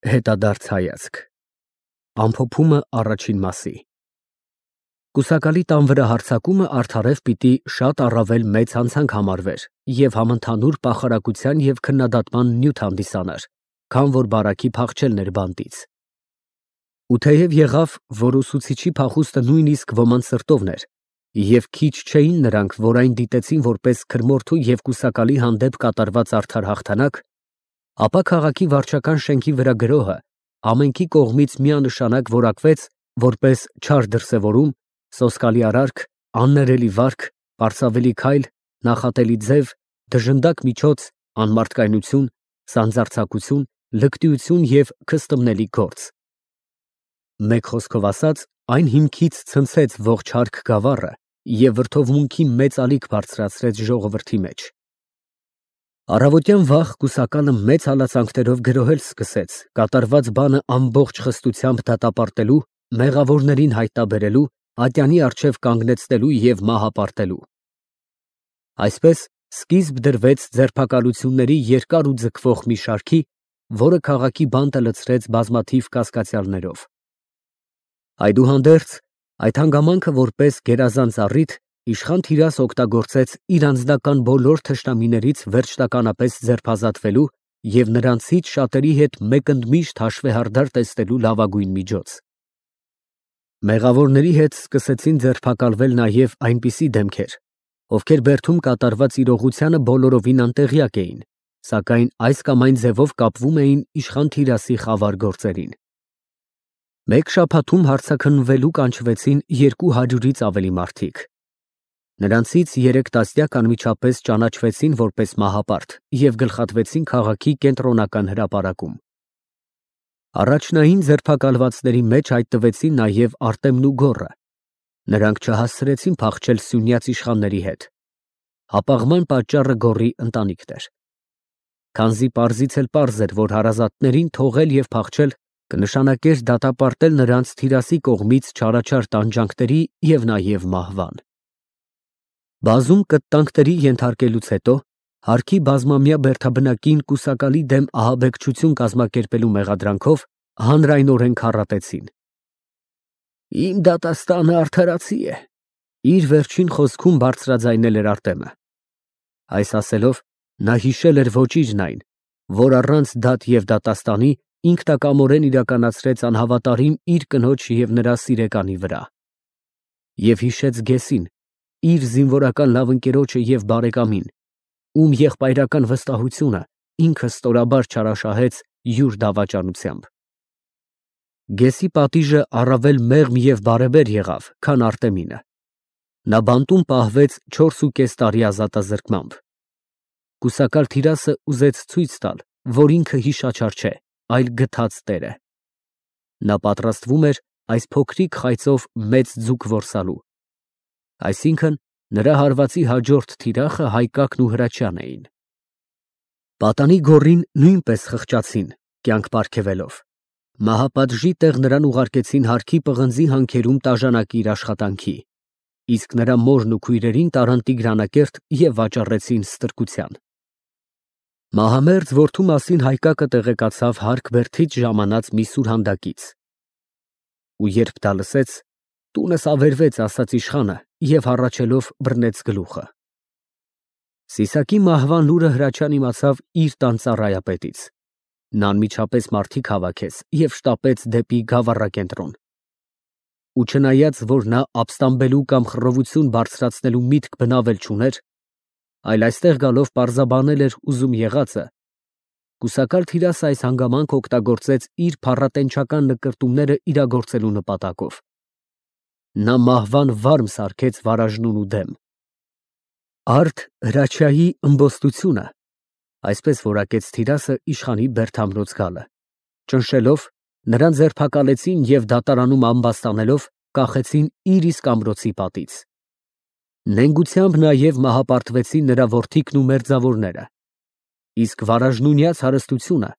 Հետադարձ հայացք Ամփոփումը առաջին մասի Կուսակալի տան վրա հարձակումը արդարև պիտի շատ առավել մեծ հանցանք համարվեր և համընդհանուր պախարակության և քննադատման նյութ հանդիսանար, քան որ բարաքի փախչելն էր բանտից։ Ու թեև եղավ, որ ուսուցիչի փախուստը նույնիսկ ոմանց սրտովն էր, և քիչ չէին նրանք, որ այն դիտեցին որպես քրմորդու և կուսակալի հանդեպ կատարված արդար հաղթանակ, ապա քաղաքի վարչական շենքի վրա գրոհը ամենքի կողմից միանշանակ որակվեց որպես չար դրսևորում, սոսկալի արարք, աններելի վարք, պարսավելի քայլ, նախատելի ձև, դժնդակ միջոց, անմարդկայնություն, սանձարձակություն, լկտիություն և քստմնելի գործ։ Մեկ խոսքով ասած, այն հիմքից ցնցեց ողջ հարկ գավառը և վրդովմունքի մեծ ալիք բարձրացրեց ժողովրդի մեջ։ Առավոտյան վաղ կուսակալը մեծ հալածանքներով գրոհել սկսեց, կատարված բանը ամբողջ խստությամբ դատապարտելու, մեղավորներին հայտնաբերելու, ատյանի առջև կանգնեցնելու և մահապարտելու։ Այսպես սկիզբ դրվեց ձերբակալությունների երկար ու ձգվող մի շարքի, որը քաղաքի բանտը լցրեց բազմաթիվ կասկածյալներով։ Այդուհանդերձ, այդ հանգամանքը որպես գերազանց առիթ իշխան Թիրաս օգտագործեց իր անձնական բոլոր թշնամիներից վերջնականապես ձերբազատվելու և նրանցից շատերի հետ մեկընդմիշտ հաշվեհարդար տեսնելու լավագույն միջոց։ Մեղավորների հետ սկսեցին ձերբակալվել նաև այնպիսի դեմքեր, ովքեր բերդում կատարված իրողությանը բոլորովին անտեղյակ էին, սակայն այս կամ այն ձևով կապվում էին իշխան Թիրասի խավար գործերին։ Մեկ շաբաթում հարցաքննվելու կանչվեցին 200-ից ավելի մարդիկ։ Նրանցից 3 տասնյակ անմիջապես ճանաչվեցին որպես մահապարտ և գլխատվեցին քաղաքի կենտրոնական հրապարակում։ Առաջնային ձերբակալվածների մեջ հայտնվեցին նաև Արտեմն ու Գոռը։ Նրանք չհասցրեցին փախչել սյունյաց իշխանների հետ։ Հապաղման պատճառը Գոռի ընտանիքն էր։ Քանզի պարզից էլ պարզ էր, որ հարազատներին թողել և փախչել կնշանակեր դատապարտել նրանց Թիրասի կողմից չարաչար տանջանքների և նաև մահվան։ Բազում կտտանքների ենթարկելուց հետո, հարկի բազմամյա բերդաբնակին կուսակալի դեմ ահաբեկչություն կազմակերպելու մեղադրանքով հանրայնորեն քառատեցին։ «Իմ դատաստանը արդարացի է», իր վերջին խոսքում բարձրաձայնել էր Արտեմը։ Այս ասելով, նա հիշել էր ոճիրն այն, որ առանց դատ և դատաստանի ինքնակամորեն իրականացրեց անհավատարիմ իր կնոջ և նրա սիրեկանի վրա։ Եվ հիշեց Գեսին, իր զինվորական լավ ընկերոջը և բարեկամին, ում եղբայրական վստահությունը ինքը ստորաբար չարաշահեց յուր դավաճանությամբ։ Գեսի պատիժը առավել մեղմ և բարեբեր եղավ, քան Արտեմինը։ Նա բանտում պահվեց 4.5 տարի ազատազրկմամբ։ Կուսակալ Թիրասը ուզեց ցույց տալ, որ ինքը հիշաչար չէ, այլ գթած տեր է։ Նա պատրաստվում էր այս փոքրիկ խայծով մեծ ձուկ որսալու։ Այսինքն՝ նրա հարվածի հաջորդ թիրախը Հայկակն ու Հրաչյանն էին։ Պատանի Գոռին նույնպես խղճացին, կյանք պարգևելով։ Մահապատժի տեղ նրան ուղարկեցին հարկի պղնձի հանքերում տաժանակիր աշխատանքի, իսկ նրա մորն ու քույրերին տարան Տիգրանակերտ և վաճառեցին ստրկության։ Մահամերձ որդու մասին Հայկակը տեղեկացավ հարկ֊բերդից ժամանած մի սուրհանդակից։ Ու երբ դա լսեց, տունս ավերվեց, ասաց իշխանը և հառաչելով բռնեց գլուխը։ Սիսակի մահվան լուրը Հրաչյան իմացավ իր տան ծառայապետից։ Նա անմիջապես մարդիկ հավաքեց և շտապեց դեպի գավառակենտրոն։ Ու չնայած, որ նա ապստամբելու կամ խռովություն բարձրացնելու միտք բնավել չուներ, այլ այստեղ գալով պարզաբանել էր ուզում եղածը, կուսակալ Թիրասը այս հանգամանքը օգտագործեց իր փառատենչական նկրտումները իրագործելու նպատակով։ Նա մահվան վարմ սարքեց Վարաժնունու դեմ։ Արդ Հրաչյայի ըմբոստությունը, այսպես որակեց Թիրասը իշխանի բերդամրոց գալը, ճնշելով, նրան ձերբակալեցին և դատարանում ամբաստանելով կախեցին իր իսկ ամրոցի պատից։ Նենգությամբ նաև մահապարտվեցին նրա որդիքն ու մերձավորները, իսկ վարաժնունյաց հարստությունը,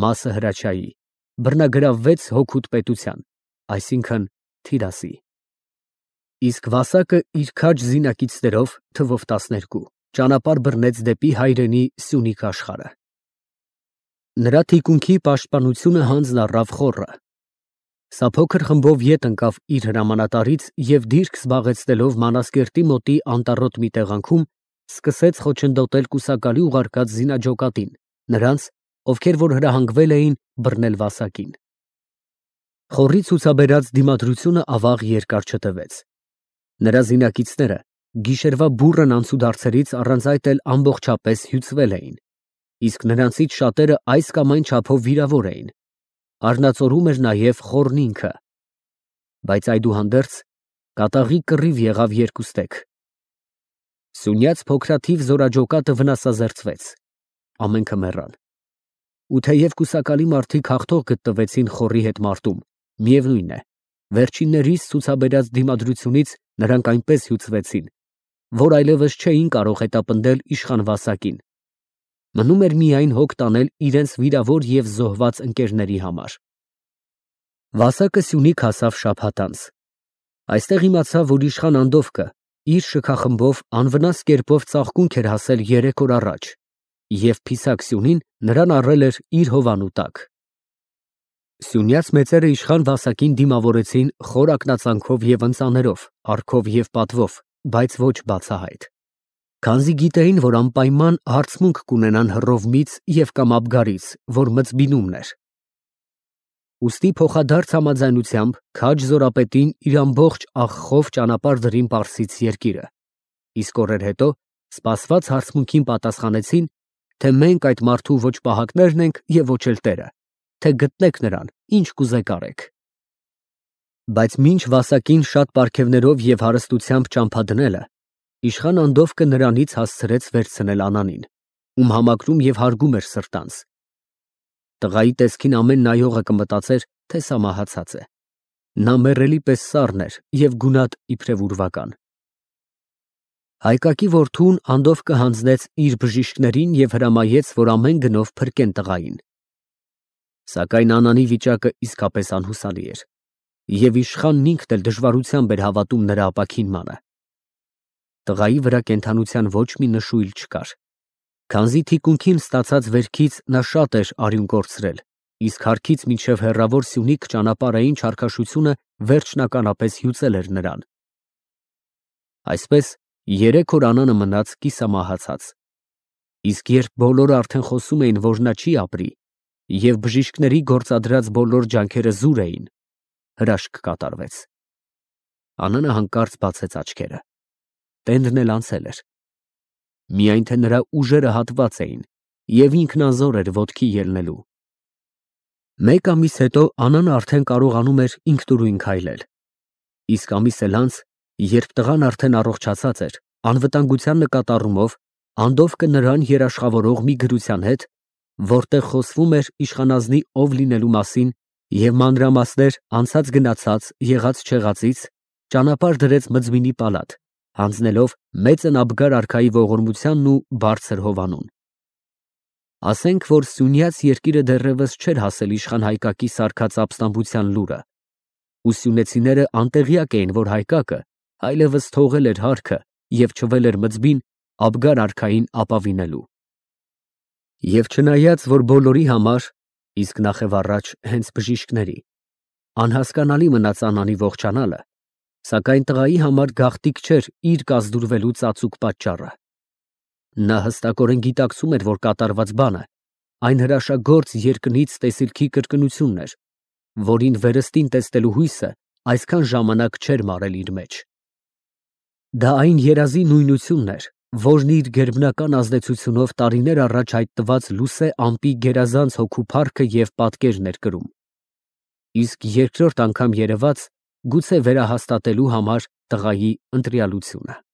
մասը Հրաչյայի, բռնագրավվեց հօգուտ պետության, այսինքն՝ Թիրասի։ Իսկ Վասակը իր քաջ զինակիցներով, թվով 12, ճանապարհ բռնեց դեպի հայրենի Սյունիք աշխարհը։ Նրա թիկունքի պաշտպանությունը հանձն առավ խոռը։ Սա փոքր խմբով ետ ընկավ իր հրամանատարից և դիրք զբաղեցնելով Մանասկերտի մոտի անտառոտ մի տեղանքում, սկսեց խոչընդոտել կուսակալի ուղարկած զինաջոկատին, նրանց, ովքեր որ հրահանգվել էին բռնել Վասակին։ Խոռի ցուցաբերած դիմադրությունը ավաղ երկար չտևեց։ Նրա զինակիցները գիշերվա բուռն անցուդարձերից առանց այդ էլ ամբողջապես հյուծվել էին, իսկ նրանցից շատերը այս կամ այն չափով վիրավոր էին։ Արնածորում էր նաև խոռն ինքը։ Բայց այդուհանդերձ կատաղի կռիվ եղավ երկուստեք։ Սյունյաց փոքրաթիվ զորաջոկատը վնասազերծվեց։ Ամենքը մեռան։ Ու թեև կուսակալի մարդիկ հաղթող գտնվեցին խոռի հետ մարտում, միևնույն է, վերջիններիս ցուցաբերած դիմադրությունից նրանք այնպես հյուծվեցին, որ այլևս չէին կարող հետապնդել իշխան Վասակին։ Մնում էր միայն հոգ տանել իրենց վիրավոր և զոհված ընկերների համար։ Վասակը Սյունիք հասավ շաբաթ անց։ Այստեղ իմացավ, որ իշխան Անդովկը իր շքախմբով անվնաս կերպով ծաղկունք էր հասել 3 օր առաջ, և Փիսակ Սյունին նրան առել էր իր հովանու տակ։ Սյունյաց մեծերը իշխան Վասակին դիմավորեցին խոր ակնածանքով և ընծաներով, առքով և պատվով, բայց ոչ բացահայտ։ Քանզի գիտեին, որ անպայման հարցմունք կունենան հռովմից և կամ Աբգարից, որ մծբինումն էր։ Ուստի փոխադարձ համաձայնությամբ քաջ զորապետին իր ամբողջ աղխով ճանապարհ դրին Պարսից երկիրը, իսկ օրեր հետո սպասված հարցմունքին պատասխանեցին, թե մենք այդ մարդու ոչ պահակներն ենք և ոչ էլ տերը, թե գտնեք նրան, ինչ կուզեք արեք։ Բայց մինչ Վասակին շատ պարգևներով և հարստությամբ ճամփա դնելը, իշխան Անդովկը նրանից հասցրեց վերցնել Անանին, ում համակրում և հարգում էր սրտանց։ Տղայի տեսքին ամեն նայողը կմտածեր, թե սա մահացած է։ Նա մեռելի պես սառն էր և գունատ իբրև ուրվական։ Հայկակի որդուն Անդովկը հանձնեց իր բժիշկներին և հրամայեց, որ ամեն գնով փրկեն տղային։ Սակայն Անանի վիճակը իսկապես անհուսալի էր, և իշխանն ինքն էլ դժվարությամբ էր հավատում նրա ապաքինմանը։ Տղայի վրա կենդանության ոչ մի նշույլ չկար, քանզի թիկունքին ստացած վերքից նա շատ էր արյուն կորցրել, իսկ հարկից մինչև հեռավոր Սյունիք ճանապարհային չարքաշությունը վերջնականապես հյուծել էր նրան։ Այսպես 3 օր Անանը մնաց կիսամահացած, իսկ երբ բոլորը արդեն խոսում էին, որ նա չի ապրի, և բժիշկների գործադրած բոլոր ջանքերը զուր էին, հրաշք կատարվեց։ Անանը հանկարծ բացեց աչքերը։ Տենդն էլ անցել էր։ Միայն թե նրա ուժերը հատված էին, և ինքն անզոր էր ոտքի ելնելու։ Մեկ ամիս հետո Անանը արդեն կարողանում էր ինքնուրույն քայլել, իսկ ամիս էլ անց, երբ տղան արդեն առողջացած էր, անվտանգության նկատառումով Անդովկը նրան երաշխավորող մի գրության հետ, որտեղ խոսվում էր իշխանազնի ով լինելու մասին և մանրամասներ անցած գնացած, եղած չեղածից, ճանապարհ դրեց Մձմինի պալատ, հանձնելով մեծն Աբգար արքայի ողորմությանն ու բարձր հովանուն։ Ասենք, որ Սյունյաց երկիրը դեռևս չէր հասել իշխան Հայկակի սարքած ապստամբության լուրը, ու սյունեցիները անտեղյակ էին, որ Հայկակը այլևս թողել էր հարկը և չվել էր Մձբին Աբգար արքային ապավինելու։ Եվ չնայած, որ բոլորի համար, իսկ նախևառաջ հենց բժիշկների, անհասկանալի մնաց Անանի ողջանալը, սակայն տղայի համար գաղտնիք չէր իր կազդուրվելու ծածուկ պատճառը։ Նա հստակորեն գիտակցում էր, որ կատարված բանը այն հրաշագործ երկնից տեսիլքի կրկնությունն էր, որին վերստին տեսնելու հույսը այսքան ժամանակ չէր մարել իր մեջ։ Դա այն երազի նույնությունն էր, որն իր գերբնական ազդեցությունով տարիներ առաջ հայտնված լուսե ամպի գերազանց հոգու փառքը և պատկերն էր կրում, իսկ երկրորդ անգամ երևաց, գուցե վերահաստատելու համար տղայի ընտրյալությունը։